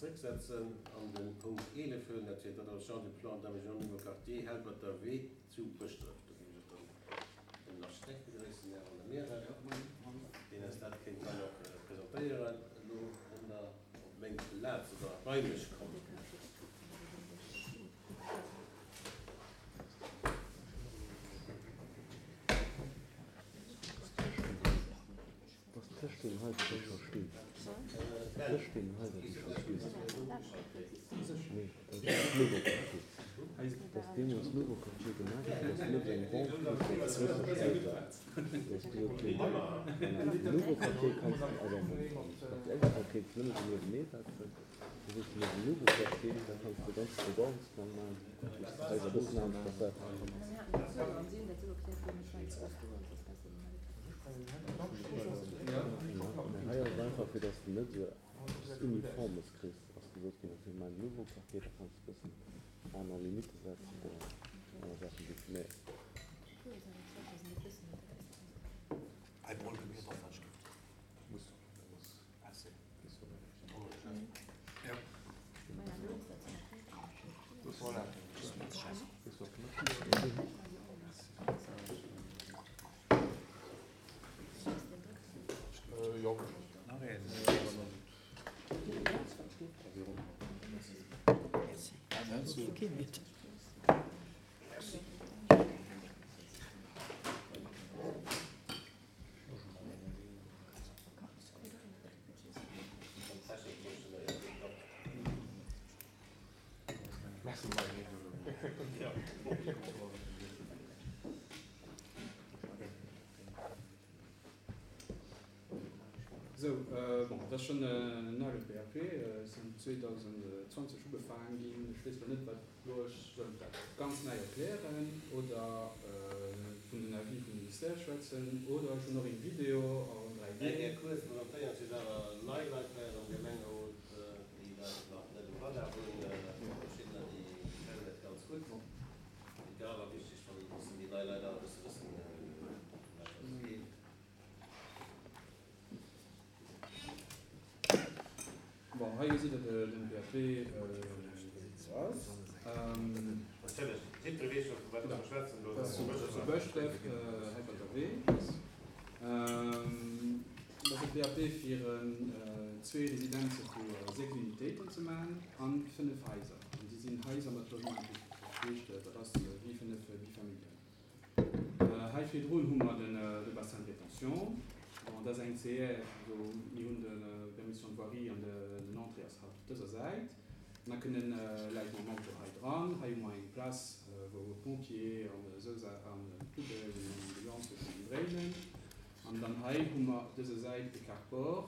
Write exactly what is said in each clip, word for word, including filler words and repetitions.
zrécksetzen an de Punkt eelef huelen, dat wier d'Adoption du plan d'aménagement nouveau quartier Helperter Wee zu Bëschdref. Do géif ech dann den Architekt begréissen, den Här Van der Meeren, deen eis dat kéint dann och presentéieren elo, wann Der op meng Plaz oder bei mech kommt. Dass tëscht deenen Haiser, déi scho stinn, tëscht deenen Haiser, déi scho stinn, nee, dat ass Nouveau Quartier, dass deemools Nouveau Quartier gemaach ginn ass, dass net eng Banque fir grousse Haiser, dass gesot ginn, voilà, Nouveau Quartier kanns de, also am aktuelle Quartier kéints de nëmme se niewennee setzen, da sees de niewent Nouveau Quartier, da kanns de e ganze Bebauungsplang maachen, wou s de d'Haiser e bëssen anescht versetzen. Hei ass et einfach, fir dass de net esou eppes Uniformes kriss, ass gesot ginn, okay, mir maachen en Nouveau Quartier, da kanns de e bëssen aner Limitte setzen oder aner Saachen definéieren. Sou, bon, et ass schonn en ale P A P, ass zweedausendzwanzeg ugefaangen ginn. Ech weess elo net, wat elo, ech soll dat ganz nei erklären oder vun den Avis vum Ministère schwätzen oder ech hunn och een Video en dräi D. Eng Kéier kuerz presentéieren, et sinn awer nei Leit hei am Gemengerot, déi dat nach net um Radar hunn, verschiddener, déi kennen dat ganz gutt. Et wär awer wichteg, wann e bëssen déi nei Leit awer e bësse wëssen, ëm wat et geet. Bon, hei gesitt Der den P A P, wéi et esou ass. Natierlech, jiddweree weess scho, vu wat mer schwätzen do. Dat ass zu Bëschdref, Helperter Wee. Dat ass e P A P fir zwee Residenze vu sechs Unitéiten ze maachen a fënnef Haiser. An déi sinn Haiser mat Logement inclusif. Dat heescht, dat ass wéi fënnef Bifamilien. Hei virdrun hu mer de Bassin de rétention. Bon, dat ass eng C R, do mir hunn de Permission de voirie an den Entrée ass haut op dëser Säit. An da kënnen Leit mam Auto hei dran. Hei hu mer eng Place, wou Pompier an esou an Poubellen an Ambulance kënnen dréinen. An dann hei hu mer op dëser Säit de Carport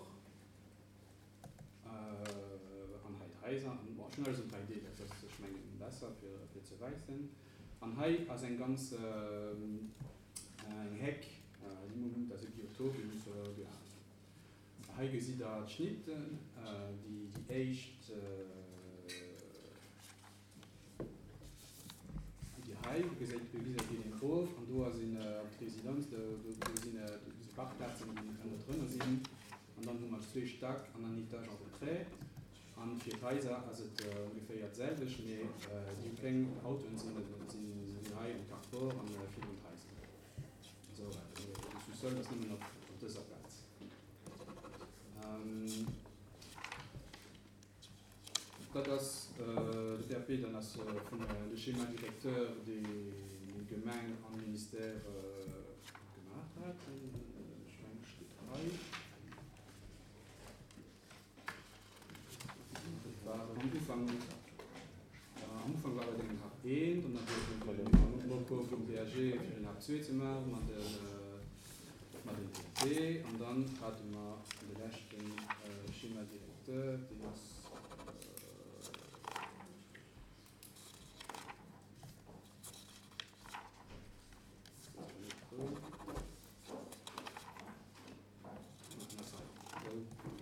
an hei d'Haiser. An bon, ech hunn alles an dräi D, dat ass, ech mengen, besser fir, fir ze weisen. An hei ass eng ganz eng Heck, déi muss, dat ass e Biotop, déi muss gehalen ginn. Hei gesitt Der d'Schnitten, déi, déi éischt, déi hei, do gesäit, do gesäit een eng Kurv, an do ass een op d'Residenz, do, do, do sinn, do si Parkplazen, déi ënnerdrënner sinn. An dann hu mer zwee Stack an en Etage en retrait. An fir d'Haiser ass et ongeféier d'selwecht, mee déi kleng Autoen sinn, sinn, sinn hei am Carport an virdrun d'Haiser. Esou, de Sous-sol ass nëmmen op, op dëser Plaz. Dat ass de P A P, dann ass vun de Schéma directeur, deen d'Gemeng an Ministère gemaach hat. Ech mengen, steet hei. Dat war am Ufank, am Ufank war et eng H eent, an dann huet den Loco vum P A G fir en H zwee ze maachen, mat den, mat den P A P, an dann hate mer de leschten Schéma directeur, deen ass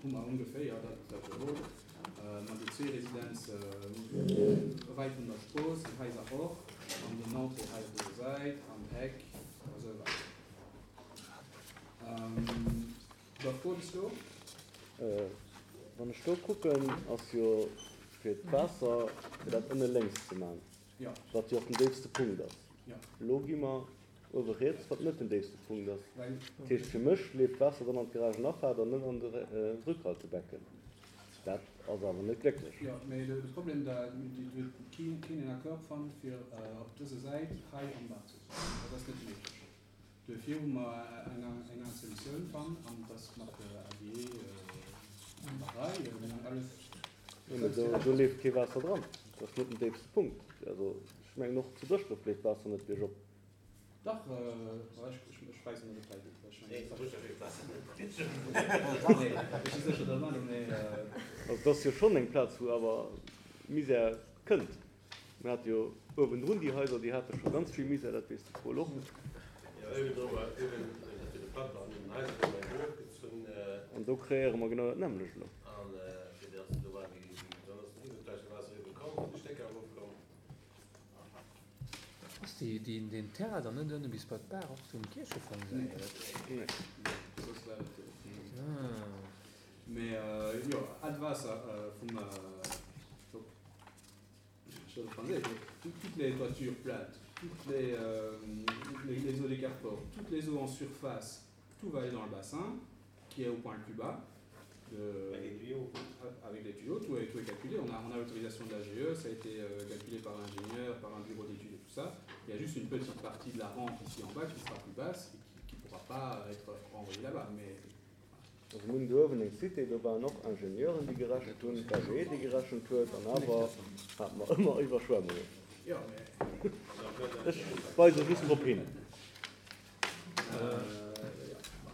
hu mer ongeféier dat, dat elo. Mat de zwee Residenze wäit vun der Strooss, déi Haiser och, an den Entrée hei op dëser Säit, an d'Heck a sou weider. Da Fro bis elo? Wann ech do kucken, ass jo fir d'Waasser, fir dat ënne lénks ze maachen, Ja. wat jo och den déifste Punkt ass. Ja. Elo gi mer uewe riets, wat net den déifste Punkt ass. Well Dat heescht, fir mech leeft d'Waasser dann an d'Garagenafaart an net an de Rückhaltebecken. Dat ass awer net glécklech. Jo, mee de Problem, da huet keen een Accord fonnt, fir op dëser Säit hei am Baach ze sinn. Dat ass net méiglech. Duerfir hu mer eng aner Solutioun fonnt, an dat ass mat der A G E an der Rei. Mir hunn alles. Jo, mee do, do leeft kee Waasser dran. Dat ass net den déifste Punkt. Also, ech mengen, och zu Bëschdref leeft d'Waasser net biergop. Dach, ech, ech weess net, ob dat hei geet. Nee, zu Bëschdref leeft d'Waasser net biergop. Nee, ech si sécher, datt net, mee. Also, dat ass jo schonn eng Plaz, wou awer Misär kënnt. Mir hate jo uewendrun déi Haiser, déi hate scho ganz vill Misär, dat weess de Paul och. Jo, uewendru war, uewen, dat fir de Platter an den Haiser gouf eng erofgezunn. An do kreéiere mer genau dat nämmlecht elo. An fir dass do war déi, dann ass den iwwergläiche Waasser iwwe komm, de Stécker erofkomm. Ass déi, déi, deen Terrain dann net ënne bis bei d'Baach och zum Kierchefong säi? Nee. Nee. Soss wär et. Ah. Mee jo, all d'Waasser vum, donc, je vais français, toutes les toitures plates, toutes les, euh, les, les eaux des carports, toutes les eaux en surface, tout va aller dans le bassin, qui est au point le plus bas. De, Avec les tuyaux. Avec les tuyaux, tout est, tout est calculé. On a, on a l'autorisation de l'A G E, ça a été euh, calculé par l'ingénieur, par un bureau d'études et tout ça. Il y a juste une petite partie de la rampe ici en bas qui sera plus basse et qui ne pourra pas être renvoyée là-bas. Mais Also mir hunn do uewen eng Cité, do waren och Ingenieuren, déi gerechent hunn, d'A G E, déi gerechent huet, an awer hate mer ëmmer Iwwerschwemmungen. Ja, mee Ech weise just drop hin.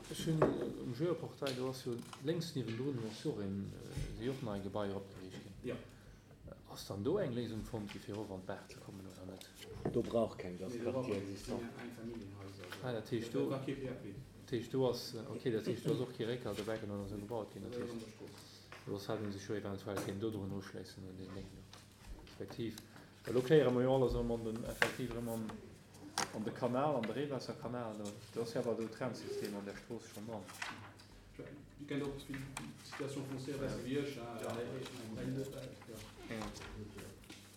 Ech hunn um Geoportail, do ass jo lénks niewendrun, do ass jo och een, si och nei Gebaier opgeriicht ginn. Ja. Ass dann do eng Léisung fonnt gi fir erof an d'Baach ze kommen oder net? Do brauch keng das Nee, do brauch Quartier keng existant. Einfamilienhäuser. Ah, dat heescht Dat do war kee P A P. Dat heescht do ass, okay, dat heescht do ass och kee Réckhaltebecken oder sou gebaut ginn. Dat Dat ass heescht, an der Strooss. do hätt een sech jo eventuell kéint do drun uschléissen un deen Déng do. Respektiv, well do kréiere mer jo alles erëm an den, effektiv erëm an, an de Kanal, an de Reewaasserkanal. Do, do ass jo awer do Trennsystem an der Strooss schonn dran. Du kennt och d'Situation foncière besse wéi ech, hein, Ja. eng, eng, ja. Ja.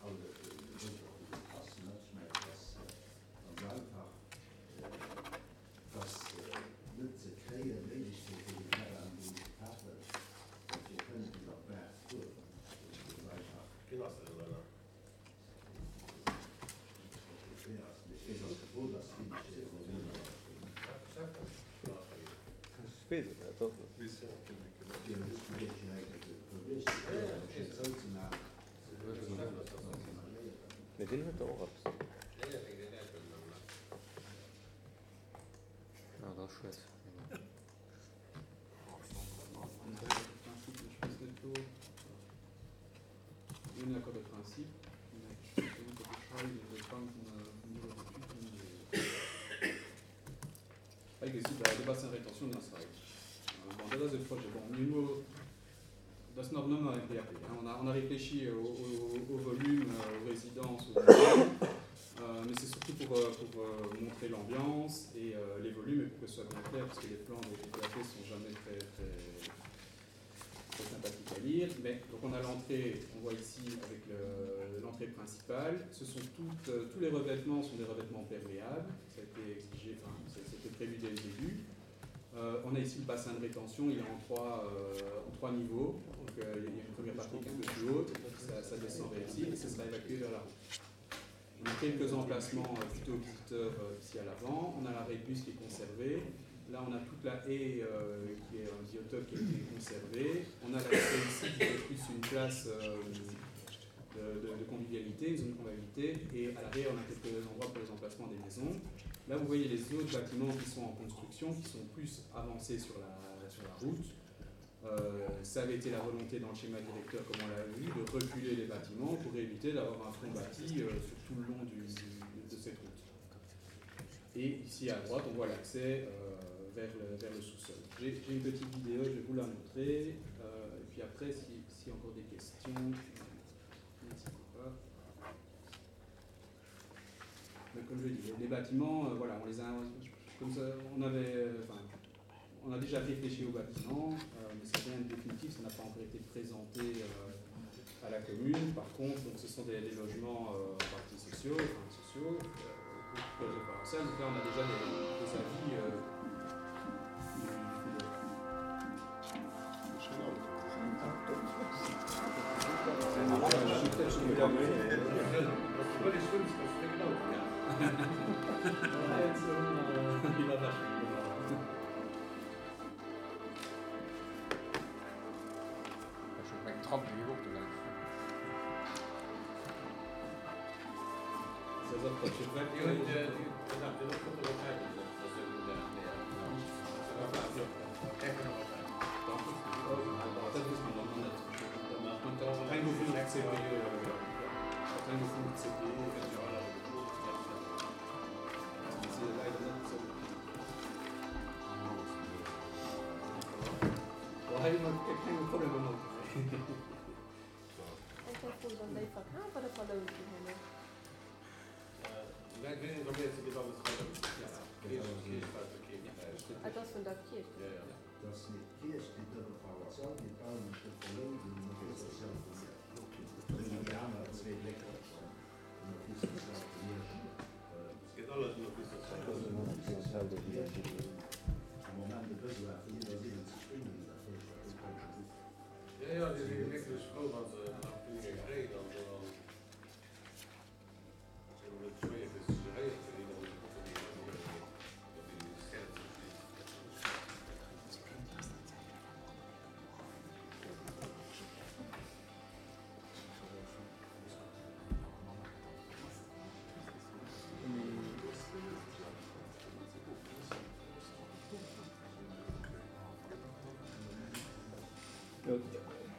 An et muss och oppassen, ech mengen, dass ganz einfach, dass net ze kréien Méiglechkeet fir den Terrain do ze kafen, fir kënnen iwwer d'Baach ze fueren. Dat ass einfach. Wien ass dat denn, oder? Ich weess, dass gefrot ass, wéi ich Ich weess et net, dat Fir Mee deen huet der och eppes. Ja, dat ass schued. Ech weess net do. Mir hunn Accord de principe. Ech weess net, ob ech hei de Plan vum Bureau d'études hunn. Hei gesitt Der de Bassin de rétention ass hei. Bon, dat ass e Projet. Bon, mir hu dat ass nach nëmmer e P A P. On a, on a réfléchi au, au, au volume, aux résidences, au volume. Euh, mais c'est surtout pour, euh, pour, euh, montrer l'ambiance et, euh, les volumes et pour que ce soit bien clair, parce que les plans des P A P sont jamais très, très, très sympathiques à lire. Mais donc on a l'entrée, on voit ici avec le, l'entrée principale. Ce sont toutes, euh, tous les revêtements sont des revêtements perméables. Ça a été exigé, enfin, ça, c'était prévu dès le début. Euh, on a ici le bassin de rétention, il est en trois, euh, en trois niveaux. Donc, euh, il y a une première partie qui est un peu plus haute, ça, ça descend vers ici et ça sera évacué vers la route. On a quelques emplacements, euh, plutôt visiteurs, euh, ici à l'avant. On a l'arrêt de bus qui est conservé. Là, on a toute la haie, euh, qui est un biotope qui a été conservé. On a l'accès ici qui est plus une place, euh, de, de, de convivialité, une zone de convivialité. Et à l'arrière, on a quelques endroits pour les emplacements des maisons. Là, vous voyez les autres bâtiments qui sont en construction, qui sont plus avancés sur la, sur la route. Euh, ça avait été la volonté dans le schéma directeur, comme on l'a vu, de reculer les bâtiments pour éviter d'avoir un front bâti, euh, sur tout le long du, du, de cette route. Et ici à droite, on voit l'accès, euh, vers le, vers le sous-sol. J'ai, j'ai une petite vidéo, je vais vous la montrer. Euh, et puis après, si, s'il y a encore des questions, n'hésitez pas. Mais comme je dis, les bâtiments, euh, voilà, on les a, comme ça, on avait, enfin, on a déjà réfléchi aux bâtiments, euh, mais c'est rien de définitif, ça n'a pas encore été présenté. commune. Par contre, donc, ce sont des, des logements euh, en partie sociaux, enfin, sociaux, euh, proposés par ça. Donc là, on a déjà des, des avis euh, du, du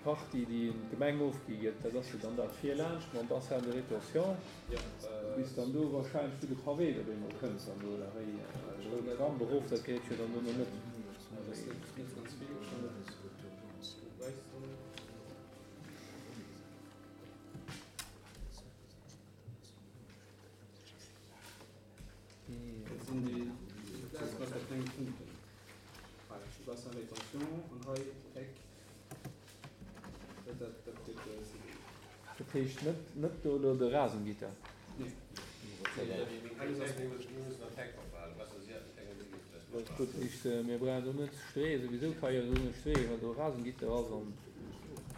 Partie, déi d'Gemeng ofgi gëtt, dat ass jo dann dat virlaanscht mam Bassin de rétention. Ja, Bis dann do wahrscheinlech zu de Pavé, da wéi mer kënns an do, da wéi de Tram berof, dat geet jo dann do noch net. Das ist nicht ganz viel. Weißt du? Das sind die, das was der kleine Punkte. Bassin rétention, an hei Eck. Dat, dat, dat, dat, Dat heescht net, net do do de Rasengitter. Nee. Dat heescht, mir brauchen do net Stree, sowieso kann jo do net Stree, well do Rasengitter ass an,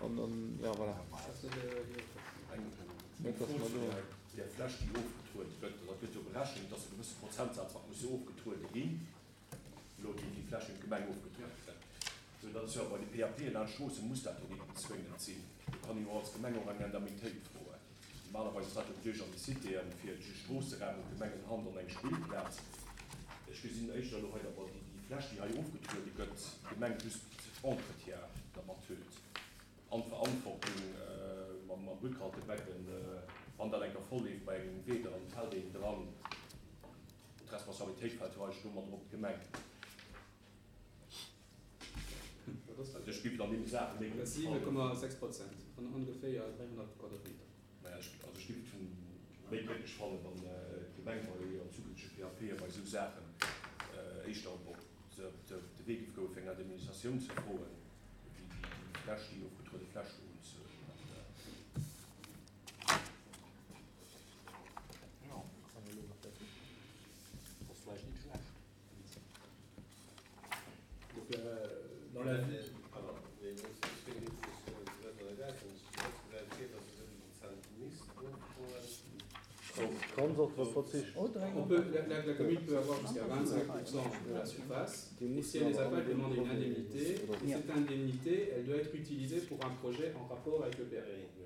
an, an, ja, voilà. Net, dass man do Der Fläch, déi ofgetrueden gëtt, dat gëtt jo berechnet, dass e gewësse Prozentsatz, wat muss ofgetrueden ginn, lo déi die Fläch in Gemeng ofgetrueden gëtt. So, dat ist ja bei de P A P an Stroosse muss dat jo net zwingend sinn. Do kann jo als Gemeng och eng Indemnitéit froen. Normalerweise ist dat jo duerch an de Citéen fir de Stroosseraum und Gemengenhand an eng Spillplaz. Ech gesinn éischter lo hei, aber déi, déi Fläch, déi hei ofgetrueden gëtt, d'Gemeng just Entretien dermat huet. An Verantwortung, äh, mam, mam Rückhaltebecken, äh, wann dat enker voll leeft bei engem Weder an fällt een dran, d'Responsabilitéit fällt jo eigentlich domat op d'Gemeng. Also ich gebe dann nämlich Sachen, die Das sieben Komma sechs Prozent von ungefähr dreihundert Quadratmeter. Naja, ich, also ich gebe von méi glücklich fannen, wann, äh, d'Gemeng bei an zukünftige P A P bei so Sachen, äh, éischter op de, de, de Weg gouf, eng Administratioun ze froen, wéi déi, déi Fläch, déi ofgetruede Fläch do zu, äh, Ja, kann man noch dazu. Das ist vielleicht nicht schlecht. Donc, euh, dans la vie. On peut, la, la, la commune peut avoir jusqu'à vingt-cinq pour cent de la surface. Et si elle les a pas, elle demande une indemnité. Et cette indemnité, elle doit être utilisée pour un projet en rapport avec le P R.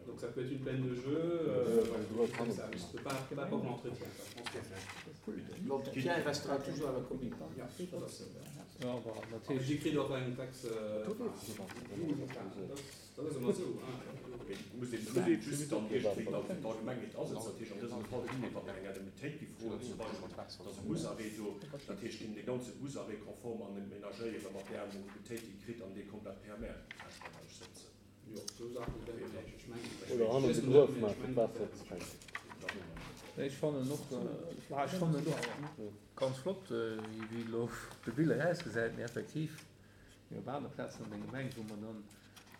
Donc ça peut être une plaine de jeu, euh, voilà, comme ça. Mais ce ne peut pas, pas pour l'entretien. Ça, je pense que L'entretien restera toujours à la commune. Ja, das ist Ja, aber natürlich. Die kriegt auch eine Taxe, äh, das, das ist immer so. Muss den just dann irgendwie dann für die Allgemeinheit ansetzen. Natürlich an diesem Fall nicht, weil eng Indemnitéit gi froen, zum Beispiel, dass e Busarrêt do, natürlich ginn de ganze Busarrêt konform an den Ménagéiere mat der Indemnitéit, déi kritt an déi komplett P M R setzen. Ja, so Sachen werden vielleicht. Ich meine, Oder han de Gruef machen, Wasser zu schenken. Ich fand noch, äh, ich fand noch ganz flott, äh, wie, wie lo de Bilder ausgesät, mir effektiv. Wir waren Platz an den Gemeng, wo man dann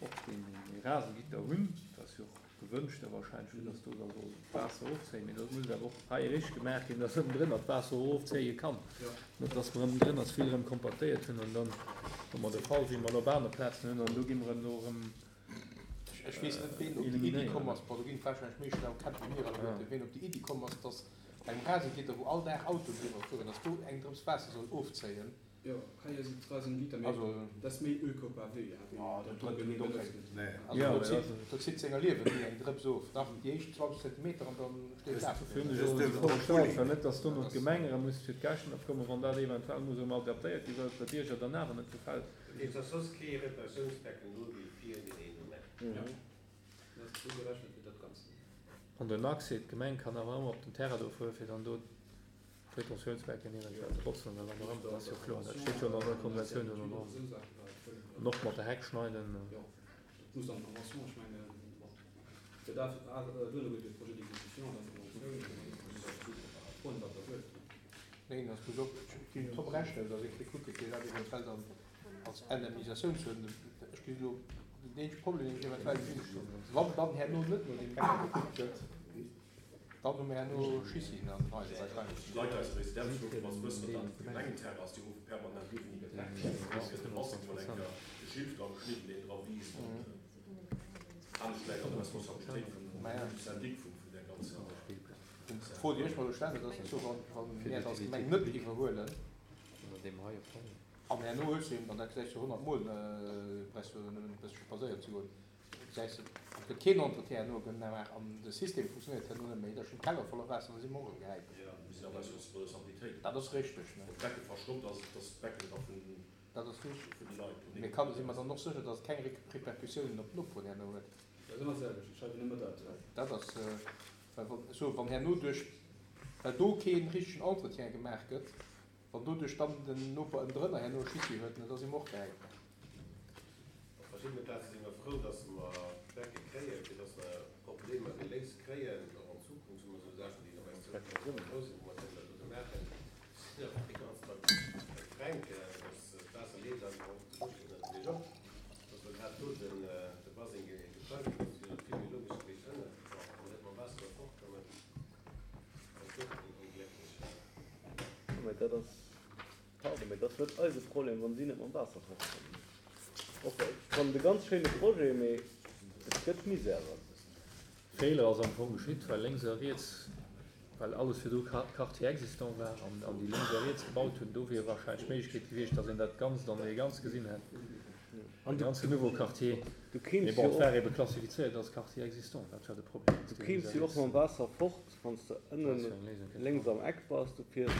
och den, den Rasengitter hunn, das jo gewënschte wahrscheinlech, fir dass do da soll d'Waasser ofzéien. Mee dat muss awer och hei richteg gemaach ginn, dass ënnendrënner d'Waasser och ofzéie kann. Net dass mer ënnendrënner ze vill erëm kompaktéiert hunn an dann hu mer de Fall, wéi mer elo op anere Plazen hunn, an do gi mer erëm do erëm Ech weess net, ween op déi Iddi komm ass, bon, do ginn et wahrscheinlech méi schlau Käpp wéi mir alleguerten, ween op déi Iddi komm ass, dass bei engem Rasengitter, wou all Dag Autoen driwwer fueren, dass do eng Drëps Waasser soll ofzéien. Jo, hei ass et Rasengitter, mee dat ass méi Ökopavé, wéi dat do genee benotzt gëtt. Also do zitt, do zitt senger Liewen ni eng Drëps of, dach déi éischt zwanzeg Zentimeter an dann steet d'Waasser Dofir hunn ech och esou Fro gestallt, well net, dass dono d'Gemeng erëm muss fir d'Käschten opkommen, wann dat eventuell muss erëm adaptéiert ginn, well et der Bierger dann awer net gefält. Et ass soss kee Reparatiounsbecken do wéi vir deen een do mécht. Jo, dat ass esou gerechent fir dat Ganzt. An den Accès, d'Gemeng kann awer ëmmer op den Terrain do fueren, fir dann do d'Retentiounsbecken eventuell ze botzen oder wat och ëmmer. Dat ass jo kloer, dat steet jo an der Konventioun do dran. An och mat der Heck schneiden. Jo, dat muss an d'Convention, ech mengen, bon, fir dat, duerno gëtt jo Projet d'exécution an dann d'Conventioun, an dann muss Der froen, wat Der wëllt. Neen, dat muss och, ech ginn drop rechnen, datt ee kucke fir dat eventuell dann als Indemnisatioun ze huelen. Ech ginn elo den eenzege Problem, deen ech eventuell gesinn, wann dann herno net no deem Bäcker gekuckt gëtt, dann hu mir herno Schissi an den Haiser wahrscheinlech. D'Leit aus der Residenz ruffen, wa se wëssen, datt dat e Gemengenterrain ass, déi rufe permanent uewen iwwer d'Heck. Da gëtt de Bassin mol eng Kéier de Schilf dra geschnidden, deen dra wiisst. Anescht läit an der Responsabilitéit vum Syndic vun där ganzer. D'Fro, déi ech mer elo stellen, dat ass, wa mir et als Gemeng net iwwerhuelen, An herno hues de eben, an dat gesäis de honnert Mol, brauchs du nëmmen e bëssche spadséieren ze goen, gesäis de, et gëtt keen Entretien herno gemaach an de System funktionéiert herno net méi, da stinn d'Keller voller Waasser an da si mer och erëm gehäit. Jo, mir sinn awer eis Responsabilitéit. Dat ass richteg, ne? Wann d'Becke verstoppt ass, et ass d'Becken da vun Dat ass richteg. vun de Leit do. Mee kann, si mer dann och sécher, datt et keng Répercussiounen op d'Noperen herno huet? Dat ass ëmmer d'selwecht, ech schreiwen ëmmer dat. Dat ass, well wann, ech soen, wann herno duerch, well do kee richtegen Entretien gemaach gëtt, Wann doduerch dann den Noper ënnendrënner herno Schissi huet, da si mer och gehäit. Op verschiddene Plaze si mer frou, dass mer d'Becke kréien, fir dass mer Problemer geléist kréien. Och an Zukunft hu mer esou Saachen, déi nach eng Zukunft méi grouss sinn, wou mer kënnen dat dote maachen. Ech sinn awer déi ganz Zäit beim Fränk, dass d'Waasser leeft einfach och de Busch natierlech och, dass mer grad do de Baseng geplangt hunn. Dat wier vill méi logesch gewiescht ënnen, wa mer net mam Waasser do fortkommen. Dat ass och onglécklech. Mä dat ass, pardon, mä dat ass net eise Problem, wann si net mam Waasser fortkommen. Och ech fannen et e ganz schéine Projet, mä et gëtt Misère. Feeler ass am Fong geschitt, well lénks a riets, well alles virdru Quartier existant war an déi lénks a riets gebaut hunn. Do wier wahrscheinlech d'Méiglechkeet gewiescht, datt een dat Ganzt an ee Ganz gesinn hätt, An de du, ganzen Nouveau Quartier. du Mee kéims bon, jo et war och, ebe klassifizéiert als Quartier existant, dat war de Problem, du datt déi lénks kéims a jo och riets mam Waasser fort, wann s de dat ënnen fir eng Léisung kéint lénks fannen. am Eck bass, du fiers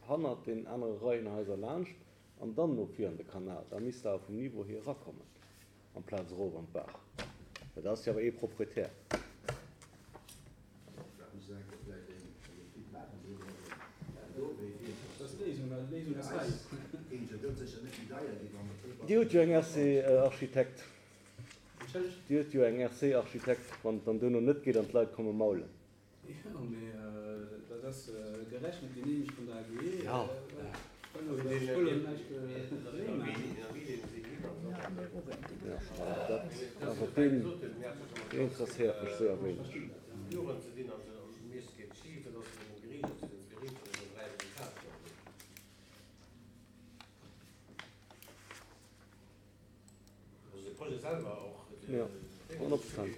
hannert den anere Reihenhaiser laanscht an dann no vir an de Kanal. Da misst de awer vum Niveau hier erakommen, amplaz erof an d'Baach. Well dat ass jo awer ee Proprietär. Dat muss enke vläicht eng Etüd maachen, déi dat do wéi vir. Dat ass d'Léisung, well d'Léisung ass hei. Géing se ganz sécher net méi deier ginn, wann et do Dir hutt jo eng R C-Architekt. Entschëllegt? Dir hutt jo eng R C-Architekt, wann et dann duerno net geet an d'Leit komme maulen. Jo, mee dat ass gerechent geneemegt vun der A G E. Ja. Ech wëll elo näischt maachen. Ja, dat awer deen interesséiert mech séier wéineg. Ja, honnert Prozent.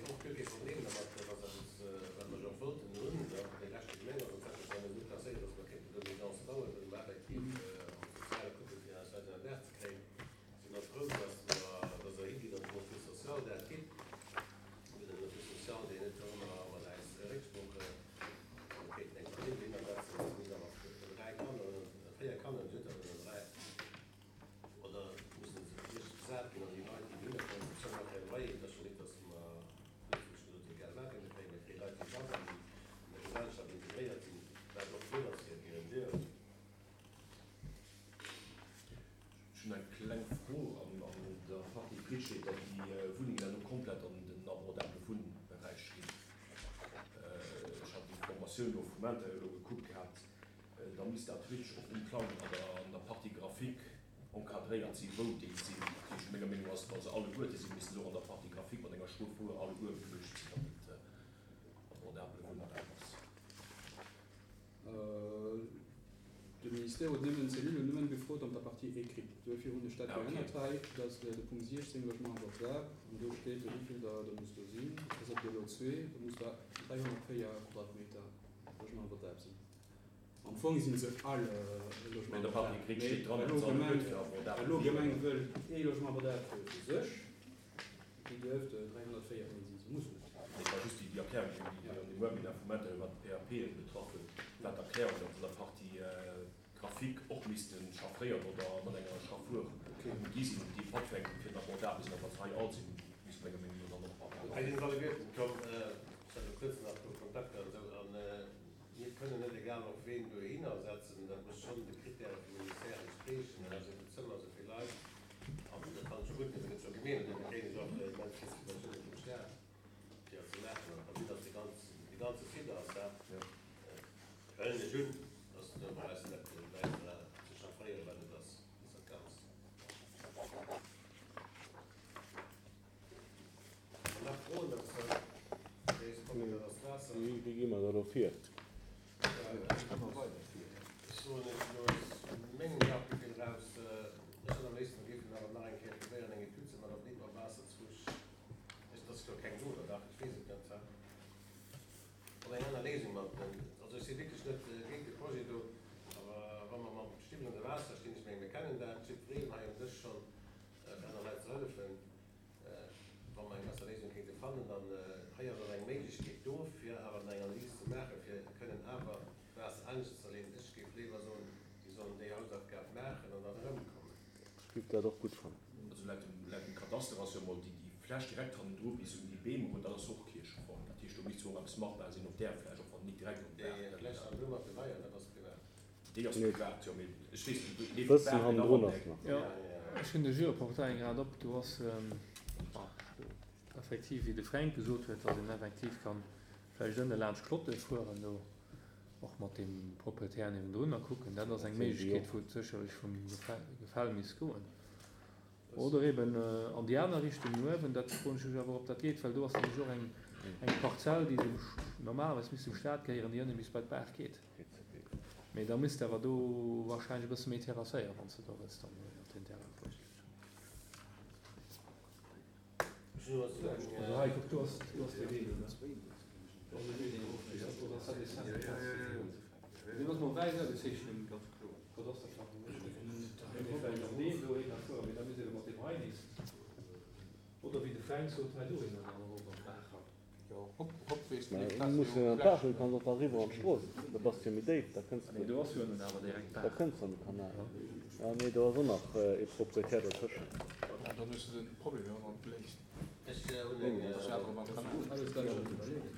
Ech hunn eng kleng Fro an der Partie Pritschet, datt déi Wunnengen elo komplett an den abordable Wunnberäich ginn. Ech hat déi Formatioun elo vum Intérieur elo gekuckt gehat. Da misst dat wierklech och um Plang an der Partie graphique encadréiert sinn, wou déi sinn. Dat heescht, menger Meenung ass, wa se alleguerte sinn, missten se och an der Partie graphique mat enger Schrot wou alleguer beluecht sinn, datt et Ministère huet nëmmen d'Cellule huet nëmmen gefrot an der Partie écrite. Duerfir hunn ech dat Ah, okay. geännert hei, dass de Punkt siechzéng Logement abordable, an do steet, wéi vill der der muss do sinn. Dat ass op de Lot zwee, do muss der dräihonnertvéier Quadratmeter Logement abordable sinn. Am Fong sinn se all Logement Mä der Partie abordable. écrite steet dran, Mee dat elo se alle Gemeng gutt fir abordable elo wieren. Gemeng wëll ee Logement abordable fir sech, déi duerft dräihonnertvéier sinn, se mussen net. Et war just déi Erklärung, déi an dem Webinar vum Maître iwwer d'P A P betraff huet, war d'Erklärung, datt an der Partie graphique och missten chaffréiert oder mat enger Chaffur gi sinn, déi patfänken fir abordabel sinn, awer hei all sinn, misst menger Meinung no dann och abordabel. Hei sinn alleguerten komm, ech hatte kuerz nach do Kontakter an esou, an mir kënnen net egal op ween dohinner setzen, dat muss schon de Kritäre vum Ministère entspriechen, also de Zëmmer so vill Leit, an dat kann schon gutt, dat gëtt schon gemeent, dat kréien se och immens vill Subventiounen vum Staat, fir dat ze maachen. An da sieht, dass die ganz, die ganze Site ass da. Hëllen ech un, dass du da brauchst net weiter ze chaffréieren, well dat ass, ist dat ganz. An nach froen, dass das Wasser. Wéi wéi gi mer da do vir? Ech soen ech lo mengem Bauchgefill raus, ech hätt am léifsten géifen awer nach eng Kéier probéieren, eng Etüd ze maachen, ob net mam Waasser zwusch. Ech, das ist jo keng do, oder? Ich weess et net, ja. Oder eng aner Léisung mat. Also ech si wierklech net géint de Projet do, awer wa mer mam Stiwwel an de Waasser stinn, ech meng, mir kennen dat, jiddwereen hei um Dësch schonn, fir aner Leit ze hëllefen. Wa mer eng besser Léisung kéinte fannen, dann hei ass och eng Méiglechkeet do, fir awer eng Analyse ze maachen, fir kënnen awer Waasser anescht ze leeën. Ech géif léiwer soen, déi sollen déi Hausaufgab maachen an dann erëmkommen. Ech géif dat och gutt fannen. Also laut dem, laut dem Kadaster ass jo mol déi, déi Fläch direkt hannendru bis un déi Beem hu, dat ass och Kiercheform. Dat heescht, do misst jo och eppes machbar sinn op där Fläch, och wann net direkt op Déi der Fläch hannendru mat de Weier, dat ass privat. Déi ass Nee. privat, jo, mee ech weess net, leeft Bëssen d'Baach hannendrun genau ass an nach. Ja, ech hunn de Geoportail grad op, du ass effektiv, wéi de Fränk gesot huet, dass een effektiv kann vläicht ënne laanscht Klotte fueren, do och mat dem Proprietär niewendrun a kucken. Dat ass eng Méiglechkeet, wou et sécherlech vum Gefäll misst goen. Oder eben an déi aner Richtung no uewen, dat froen ech mech awer, ob dat geet, well do ass nämlech och eng, eng Parzell, déi dem, normalerweis misst dem Staat gehéieren, déi ënne bis bei d'Baach geet. Mee da misst awer do wahrscheinlech e bësse méi terrasséieren, wann s du do wëlls dann op den Terrain fueren. Also hei, kuck, do ass, do ass de Wee, ne? Do ass de Wee, deen erofgeet. Oder ass dat dee Cent? Deen ass mol wäiss agezeechnet. Ganz kloer. Kadasterplan. Vläicht an deen do hinner fueren, mee da misst ee mat dem hei nees. Oder wéi de Fränk sot, hei dohinner dann erop an d'Baach ran. Jo, hopp, hopp, weess Mä net, du musst jo an d'Baach, du kanns och da riwwer an d'Strooss. Da bass du jo méi déif, da kënns Nee, du, do ass jo nun awer direkt da Baach. kënns du an de Kanal. Ja, nee, do ass och nach e Proprietär dotëschent. Ja, dann hues du den Problem jo noch bléist. Ech hunn eng, Das ist ja awer am Kanal. Alles dat schon iwwerlegt.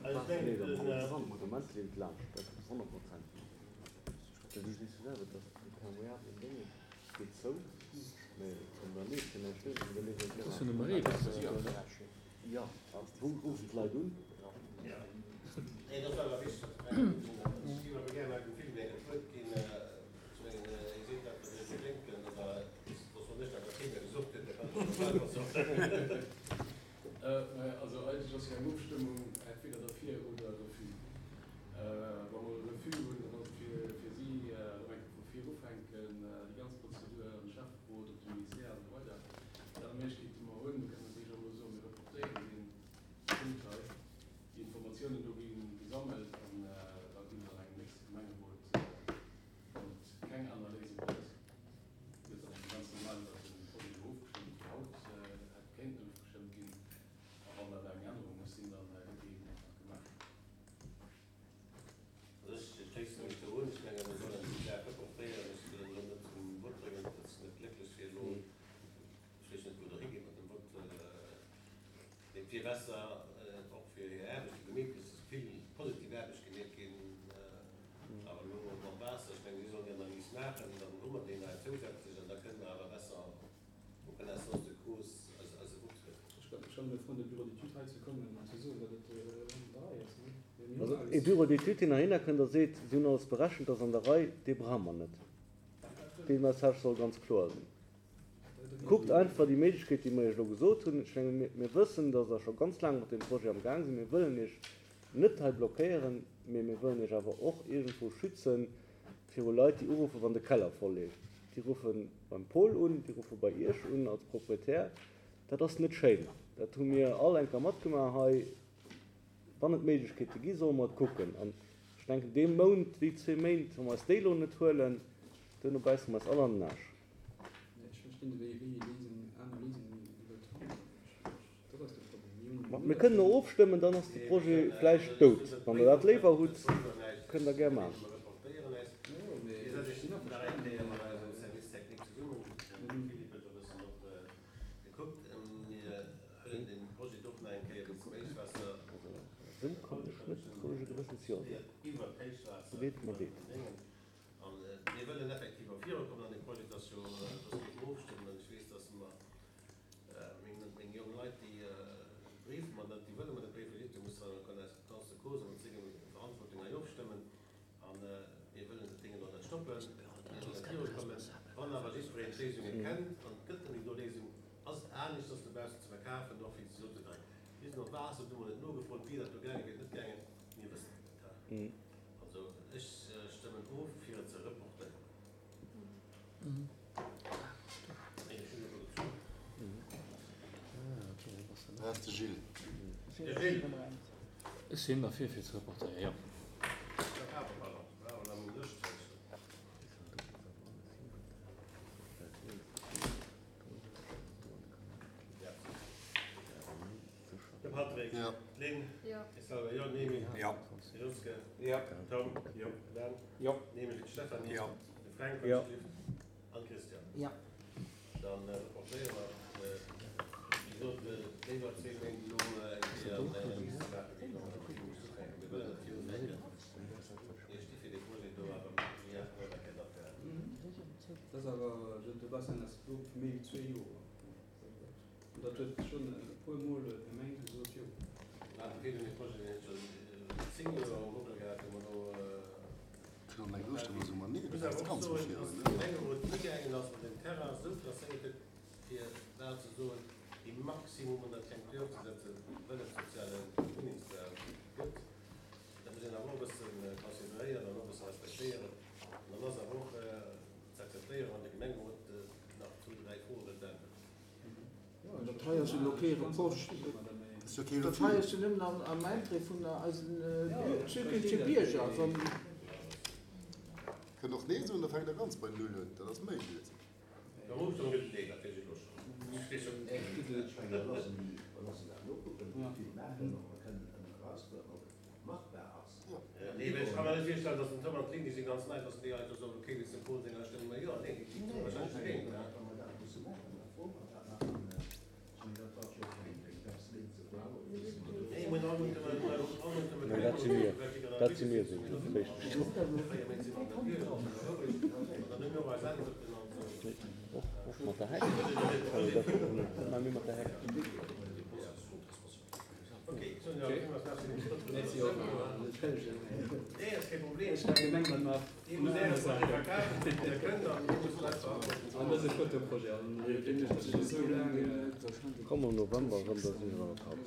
Also ich denke, Nee, da den, kommt äh, dran, Moment lebt laanscht, dat ass honnert Prozent. Dat ist nicht so selber, dass die permeablen Dinge geht zou, mee an der leeft jo näischt duerch, an da leeft Das ass jo jo nëmme Reewasser, Ja, oder? Ja, wou rufen d'Leit un? Nee, dat war awer wichteg. Ech géif awer gerne dem Philippe eng Wuert ginn. Ech mengen, Dir seet dat, dass Dir denken, oder dass man nicht dat Thema gesucht huet, da kann ich schon selber sagen. Äh, naja, also eigentlich ass ja eng Ofstëmmung entweder dafür oder Refus. Äh, wa mer Refus hunn, dann ass fir, fir si äh, eng vu vir ufänken, äh, déi ganz Prozedur am Schäfferot, op dem Ministère und so weiter. Die aner Méiglechkeet, déi mer hunn, kënnen natürlich auch elo soen, mir reportéieren den Punkt hei. Die Informationen do ginn gesammelt an äh, da ginn dann engem nächste Gemengerot, äh, wann et keng aner Léisung gëtt, gëtt dann ganz normal iwwer den Projet do ofgestëmmt, wéi haut äh, hätt kéinten ofgestëmmt ginn. A wann dat eng Ännerung muss sinn, dann äh, gëtt déi eben einfach gemaach. Also ech schléisse mech do un. Ech menge, mir sollen déi Saach reportéieren. Ech will elo net zum Vott bréngen, dat ass net glécklech fir elo. Ech weess net, wou der higeet mat dem Vott. Mee fir besser och fir hir Aarbecht, déi gemeet ginn, ass vill positiv Aarbecht gemeet ginn. Awer elo mam Waasser, ech menge, si sollen déi Analys maachen, dann hu mer déi nei zousätzlech an da kënnen mer awer besser en connaissance de cause eise, eise Vott huelen. Ech kann, ech kann mir freuen, de Bureau d'études hei ze kommen an ze soen, datt et äh, an der Rei ass. Ne? Mir hunn Also alles. e Bureau d'études, deen heihinner kënnt a seet, si hunn alles berechent, ass an der Rei, dee brauche mer net. Dee Message soll ganz kloer sinn. Kuckt einfach déi Méiglechkeet, déi mer iech elo gesot hunn. Ech menge, mir, mir wëssen, dass der scho ganz laang mat dem Projet am Gang sinn. Mir wëllen iech net hei blockéieren, mee mir wëllen iech awer och irgendwo schützen, viru Leit, déi uruffen, wann de Keller voll leeft. Déi ruffe beim Paul un, déi ruffe bei Iech un als Proprietär. Dat ass net schéin. Dat hu mir all eng Kéier matgemaach hei. Wann et Méiglechkeete gi, solle mer et kucken. An ech denken, dee Mount, déi zwee Méint, wa mer eis déi elo net huelen, duerno bäisse mer eis all an den Aarsch. Ech verstinn net, wéi ee Léisung, aner Léisung wëllt fannen. Dat ass de Problem. Mir hunn Ma mir kënnen elo ofstëmmen, dann ass de Projet vläicht dout. Wann Der dat léiwer hutt, kënnt Der gär maachen. Jo, mee ech sinn averstanen. Esou kann ech net rouege Gewëssens Jo soen. Leed mer deet. Ech sinn derfir fir ze reportéieren, jo. Jo. Dat ass awer, de Bassin ass elo méi wéi zwee Joer. An dat huet schonn e puer Mol d'Gemeng gesot, jo. Dat hei ass jo elo kee Reproche. Dat hei ass jo nëmmen am Interêt vun eisen zukünftege Bierger. Kënnt och nee soen, da fänkt Der ganz bei Null un. Dat ass méiglech. Nee, dat si mir. Dat si mir, sou richteg. Och, och mat der Heck. Also dat mat mir mat der Heck. Komm am November erëm, da si ech an der Vakanz.